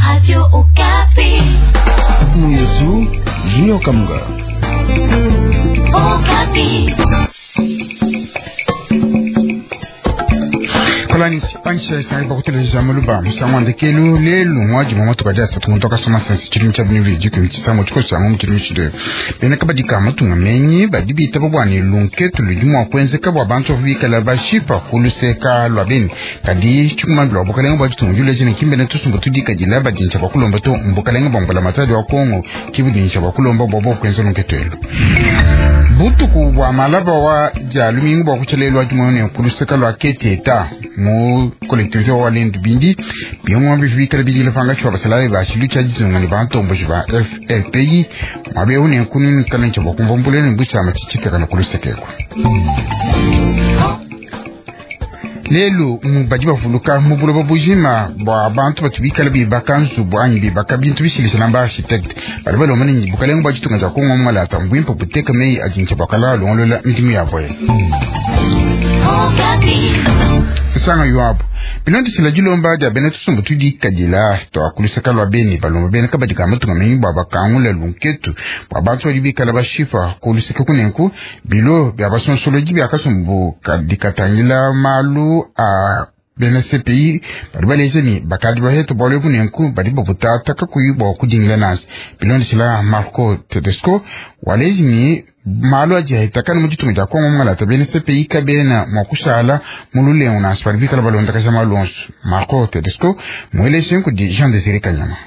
Radio Okapi. Muyesu Junior Kamunga. Okapi. Kolani pansha isangi bakuteleja muluba musangu ndekelu lelu ngwaji mwa matuka dia satu ntoka soma sansi chilimi cha binivi jiku mchisango chiko chango mchilimi chile bena kabadi ka matunga menyi badi bita bwani lunketu ludi mwa kwenzeka bwa bantu bikala bashipa kuluseka lwa beni kadi chikumambila wa bukalenga bwa ditunga juleje ne kimbene tusumbu tudikadila badintsha bwa kulomba to mbukalenga bwa mbula matadi wa Kongo kibudintsha bwa kulomba bwa bwa kwenza lunketu elu butuku bwa malaba wa dia lumingu bwa kutshelelwa dimone kuluseka lwa keteta mu collectivité wa Lendu Bindi bimwe bivikala bidile panga chwa basalaye ba chilu cha ditunga ne bantombo ba FLPI mwabe une kununi kana cha bakumva mbuleni mbucha machichika kana kulusekeko lelu badi bavuluka mu buloba bujima bwa bantu batu bikala bibaka nzubu anyi bibaka bintu bishilishana ba architecte badi balomba nini bukalenga bwa ditunga dia Kongo malata mbwimpa buteka meyi adintsha bwakala longolola midimu yabo sanga yuabu bilondisila dilomba dia bena tusumbu tudikadila twakulusaka lwa beni balomba bena kabadi ka matunga menyi bwa bakangula lunketu bwa bantu badi bikala bashipa kuluseka kunenku bilo bia basonsoloji bia kasumbu dikatangila malu a bena CPI badi baleza ni bakadi baheta bwalo kunenku badi babutata kakuyi bwa kudingila nasi bilondisila Marco Tedesco walezi ni malu adi ahitakana mu ditunga dia Kongo ngalata bena CPI kabena mua kushala mu lulengu nansi badi bikala balondakaja malu onso Marco Tedesco muelese kudi Jean Désiré Kanyama.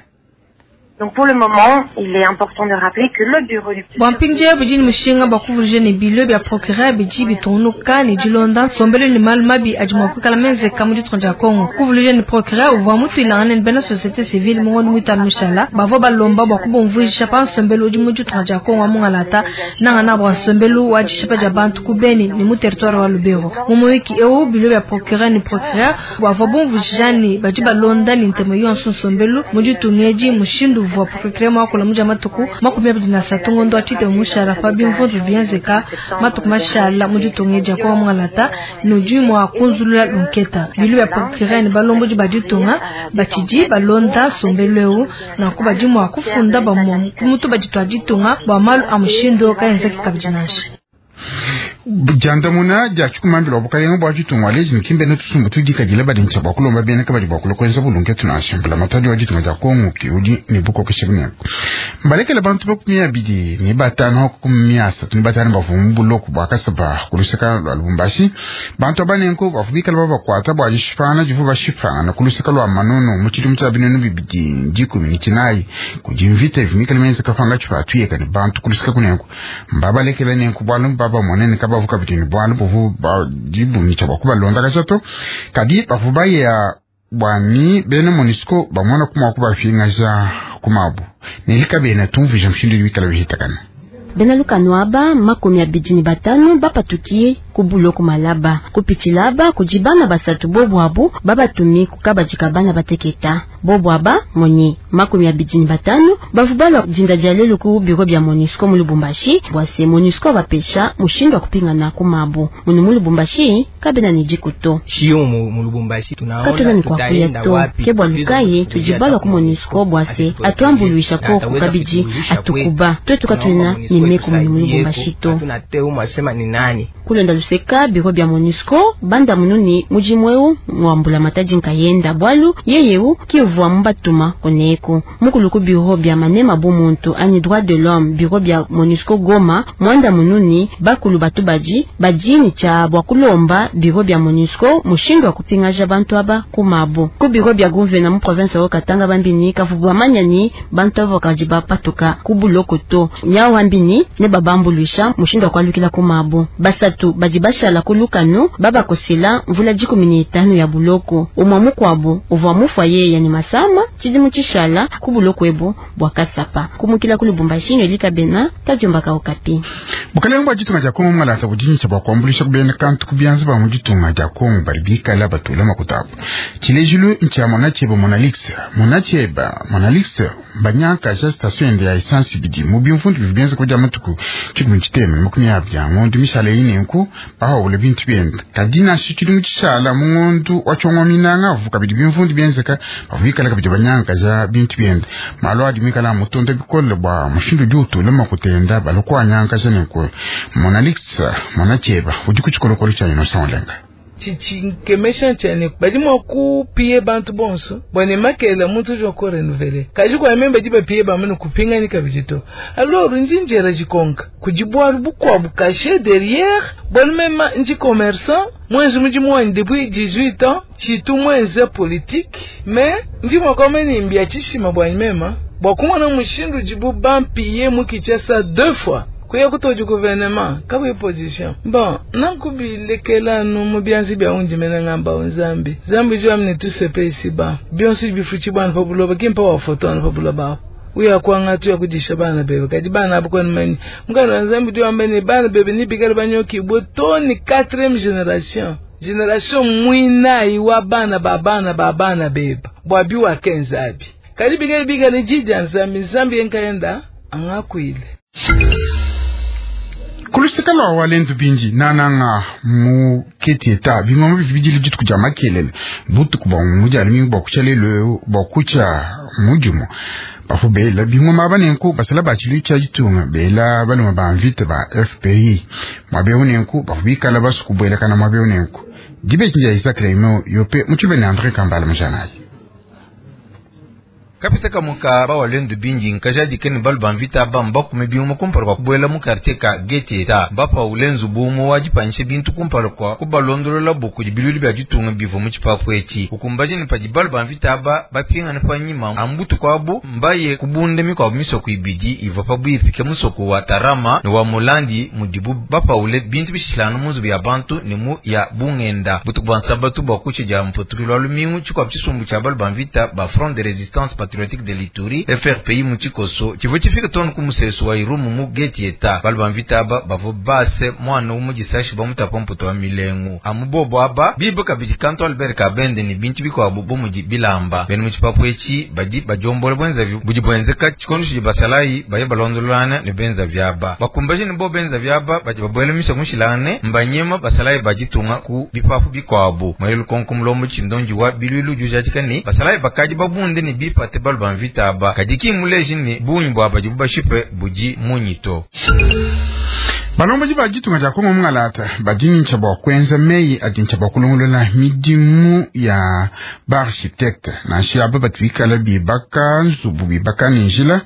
Donc pour le moment, il est important de rappeler que le bureau du bwa mpinje bidi ni mushinga bwa kuvuluja ne bilo bia procureur bidi bitungunuka ne dilonda nsombelu ne malu mabi adi mua kuikala menzeka mu ditunga dia Kongo. Kuvuluja ne procureur uvua mutuilangane ne bena société civile mu ngondo muitanu mushala bavua balomba bua kubumvuisha pa nsombelu udi mu ditunga dia Kongo wa mungalata nangana bua nsombelu wa dishipa dia bantu ku Beni ne mu territoire wa Lubero. Mu muyiki eu bilo bia procureur ne procureur bavua bumvuisha ne badi balonda ne ntemo yonso nsombelu mu ditunga edi mushindu uvua procureur mwakula muja matuku 23 ngondo atite mushara pa bimvundu bienzeka matuku mashala mu ditunga dia Kongo mungalata nudi mua kunzulula lunketa bilu bia procureur ne balombodi ba ditunga batshidi balonda nsombelu eu nanku badi mua kufunda bamue ku mutu badi tua ditunga bua malu a mushindu kaenzeki kabidi nansha. Diandamuna dia tshikumambila wa bukalenga bwa ditunga lezi nikimbe ne tusumbu tudikadila badintsha bwa kulomba bena kabadi bwa kulokwenza bulunketu nansha mbula matadi wa ditunga dia Kongo ki udi ne bukokesha bunenku mbalekela bantu 25 35 bavua mu buloko bwa kasaba kuluseka lwa Lubumbashi. Bantu abanenku bavua bikala babakwata bwa dishipana divu bashipana kuluseka lwa Manono mu tshidimu tshia 2019 kudi mvita ivumikala menzeka panga tshipatuyeka ne bantu kuluseka kunenku mbabalekela nenku bwalu baba monene kabavu kabidi ne bwalu buvu badibungi bwa kubalonda kachato kadi bavu baya bwani bena MONUSCO bamona kumwa kubafingaja kumabu nelika bena tumvija mushindu wikala bihitakana. Bena lukano aba 25 bapatukie kubuloko malaba kupitilaba kujibana basatu bobo abu babatumi kukabajika bana bateketa bobo aba monye 25 bavubalwa jinda dia lelo ku bureau bya MONUSCO mu Lubumbashi bwase MONUSCO bapesha mushindu wa kupingana kumabo munu mu Lubumbashi kabena ni jikuto shio mu Lubumbashi tunaona katuna ni kwa kuya to kebwa lukaye tujibalwa ku MONUSCO bwase atuambuluisha ko kukabiji atukuba twetu katuna ni meko mu Lubumbashi to kulonda luseka biro bya MONUSCO banda mununi mujimweu mwambula mataji nkayenda bwalu yeyeu kivwa mbatuma koneko mukuluku biro bya manema bumuntu ani droit de l'homme biro bya MONUSCO Goma mwanda mununi bakulu batu baji bajini cha bwa kulomba biro bya MONUSCO mushindo wa kupingaja bantu aba kumabo ku biro bya gouverneur mu province wa Katanga bambini kavubwa manyani bantu aba kajiba patuka kubuloko to nyawo ambini ne babambuluisha mushindo wa kwalukila kumabo basatu baji bashala kulukanu babakosela mvula 15 ya buloko umwa mukwabo uvwa mufwaye yani masama chidimu chishala kubuloko ebo bwa kasapa kumukila kulubumbashi elika bena tajomba ka Okapi. Bukalenga bwa ditunga dia Kongo ngalata budintsha bwa kuambulisha kubena kantu kubyanza ba mu ditunga dia Kongo bali bikala batula makutabu tshilejilu ntsha Monacheba Monalix Monacheba Monalix banyaka ja station ya essence bidi mu bimfundu bibienza kuja matuku tshikumi tshitema makumi abidi a ngondu mishala eyi nenku bahawule bintu biende. Kadi nansha tshidimu tshishala mu ngondu wa tshiongo minanga avu kabidi bimvundu bienzeka bavua bikala kabidi banyangakaja bintu biende. Malu adi mikala mutonda bikole bua mushindu udi utula makutenda balua kuanyangakaja nenku. Monalix Monacheba udi ku tshikolokolo tshia Innocent Olenga. Tshinkemesha ntshiane badi mua kupie bantu bonso bua ne makela muntu udi wa renouveler kaji kwa memba di bapie ba mene kupingani kabidi to. Alors ndi njera jikonka kudi bwalu bukwabu caché derrière bwalu mema ndi commerçant mwenzi mudimu wanyi depuis 18 ans chitu mwenze politique mais ndi mwa kama ni mbia chishima bwa mema bwa kumwana mushindu jibu bampie mukichasa 2 fois kuya kutoji gouvernement kabu position bon nankubilekela nu mu byanzi bya undi mena ngamba nzambi zambi ju amne tout ce pays ici bas bionso bifuchi bana pa buloba kimpa wa photo na pa buloba uya kwanga tu ya kudisha bana bebe kadi bana abo kwani mani mukana nzambi ju amene bana bebe ni bigala banyoki bo ni 4e génération génération mwina iwa bana ba bana ba bana bebe bwa biwa kenzabi kadi bigala bigala jidi nzambi nzambi enkaenda angakwile. Kuluseka lwa walendu bindi nananga mu ketieta bingoma bibidili dituku dia makelele butuku bwa mujali mingi bwa kucha lelo bwa kucha mujumo bafu bela bingoma banenku basala bachilu cha ditunga bela baluma ba mvita ba FPI mwabeu nenku bafu bikala basukubwela kana mwabeu nenku dibe kinja Isaac Remo yope muchibene André Kambala mujanayi. Kapita kamuka ba walendu binji nkaja dikeni balu bamvita bamba kume bimu kumpala kwa kubuela mu quartier ka Getieta mbapa ulenzu bumu wajipanishe bintu kumpala kwa kubalondolola buku dibiluli bya ditunga bivu mu tshipapu etshi ukumbaje ni padi balu bamvita aba bapingana pa nyima ambutu kwabu mbaye kubunde mikwabu misoko ibidi iva pa bwipike musoko wa Tarama ne wa Mulandi mudibu bapaule bintu bishilana mu nzubu ya bantu ne mu ya bungenda butuku bwa nsabatu bwa kutshe dia mputukilo wa lumingu tshikwabu tshisumbu tshia balu bamvita ba Front de Résistance Patriotique de l'Ituri FRPI mu tshikoso tshivua tshifika tonu ku musesu wa Irumu mu Getieta balu bamvita aba bavua base mwana umudisashi bamutapa mputu wa milengu amubobo aba bibe kabidi kanto Albert Kabende ni bintu bikwabu bomudi bilamba bene mu tshipapu etshi badi bajombola bwenza budi bwenzeka tshikondo tshidi basalayi baye balondololana ne benza vyaba bakumbaje ne bo benza vyaba badi babwela misa mushilane mbanyema basalayi bajitunga ku bipapu bikwabu mwele lukonko mulombo tshindonji wa bilwilu jujatika ni basalayi bakadi babunde ne bipate balu bamvita aba kadi kimuleji ni bunyi bwa badi bubashipe buji munyito. Balomboji ba ditunga dia Kongo mungalata badintsha bwa kwenza meyi adintsha bwa kulongolola midimu ya ba architecte nansha aba batu bikala bibaka nzubu bibaka ne njila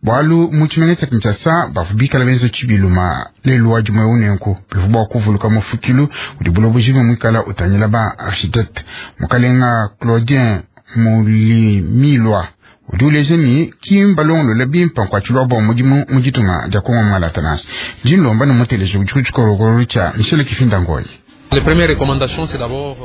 bwalu mu tshimenga tshia Kinshasa bavu bikala benza tshibiluma lelu wa dimue unenku bivu bwa kuvuluka mufukilu udi buloboji bumwe muikala utangila ba architecte mukalenga Claudien Mulimilwa udi uleja ni kimbalongolola bimpa nkuatshilwa bwa mudimu mu ditunga dia Kongo mungalata nasi dinlomba ne muteleji udi ku tshikolokolo tshia Michel Kifinda Ngoyi.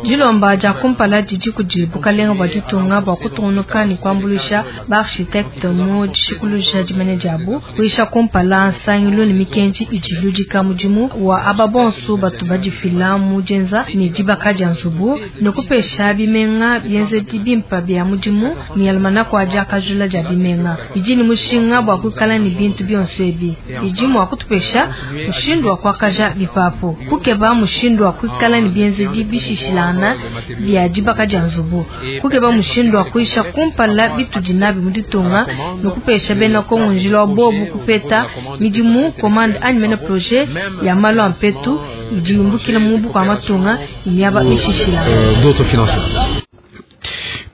Dilomba dia kumpala didi kudi bukalenga bua ditunga bua kutungunuka ne kuambuluisha ba architecte mu dishikuluja dimanya diabu kuisha kumpala nsangilu ne mikenji idi iludika mudimu wa aba bonso batu badifila mu dienza ne dibaka dia nzubu ne kupesha bimenga bienzedi bimpa bia mudimu ne almanako adi akajula dia bimenga bidi ne mushinga bua kuikala ne bintu bionso ebi bidi mua kutupesha mushindu wa kuakaja bipapu kukeba mushindu wa kuikala ne bienzedi bishishilana bia dibaka dia nzubu kukeba mushindu wa kuisha kumpala bitudi nabi mu ditunga ne kupesha bena Kongo njila wa bobu kupeta midimu commande anyi mena projet ya malu a mpetu idi yumbukila mu buku matunga miaba mishishilana.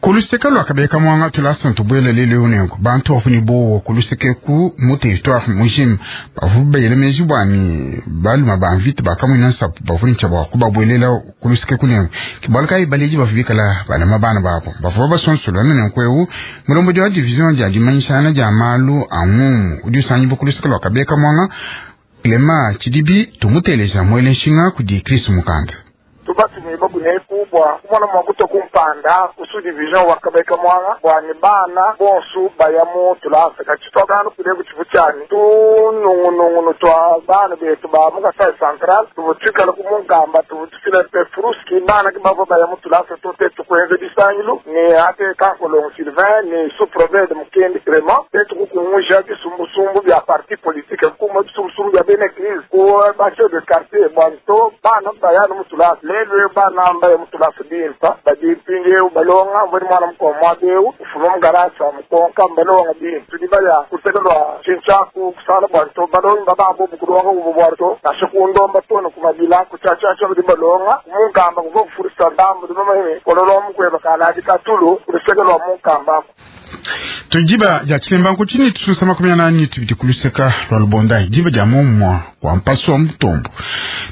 Kuluseka lwa kabeka mwanga tulasa ntubwele lele unenku bantu bafuni bowo kuluseke ku mu territoire mujima bavu bayele meji bwani baluma ba mvita bakamwina nsapu bavuni ntsha bwa kubabwelela kuluseke kunenku kibwala kayi baleji bavu bikala balama bana babo bavu basonsola nenku ewu mulombodi wa division dia dimanyishana dia malu a ngumu udi usanyibu kuluseke lwa kabeka mwanga Clement Tshidibi tumuteleja mwele nshinga kudi Chris Mukanda. Tubatumibua kuneku bua kumona mua kutua ku mpanda ku sous-division wa Kabeka Mwanga bua ne bana bonsu baya mu tulasa. Kadi tshituakanu kuneku tshivua tshiani tunungunungunu tua bana betu ba mu Kasai Central tuvua tuikala ku Munkamba, tuvua tufila pe fruski bana ke bavua baya mu tulasa to. Tetu kuenza bisangilu ne ate Kankolongo Sylvain ne sous-prevede Mukendi Clement, tetu kukunguja bisumbusumbu bia parti politique, kuma bisumbusumbu bia bena eglise ku ba chef de quartier bua to bana baya mu tulasa. Lelu eu bana mbaya mu tulasa bimpa badi mpindieu balonga mbweni mwana mukua muaba eu ufuma mu garasa mukonka mbalonga bimpe. Tudi baya kuseka lua tshintshaku kusala bua to balongi babambo bukulonga ubu bua to nasha kundomba to ne kumabila kutshatshatsha badi balonga munkamba kuvua kufurisa ndambu di bamanye kololo mukweba kaladi katulu kuluseke lua munkamba. Tujiba ya chilemba nkuchini tususa 42 kuluseka lwa lubonda jiba ja mumwa wa mpaso wa mutombo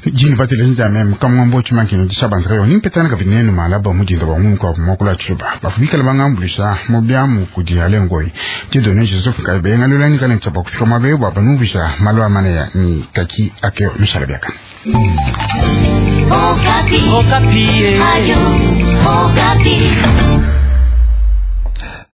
jini patile nja meme kamwambo chimankini dishabanzika yo nimpetana kavinenu malaba mujinda wa mungu kwa mwakula chiluba bafubikala bangambulisha mubyamu kudi alengoi tidone Joseph Kaibe ngalulani kana chapa kufika mabe bwa banuvisha malwa manaya ni kaki akeo mishala byaka. Okapi. Okapi. Ayo, Okapi.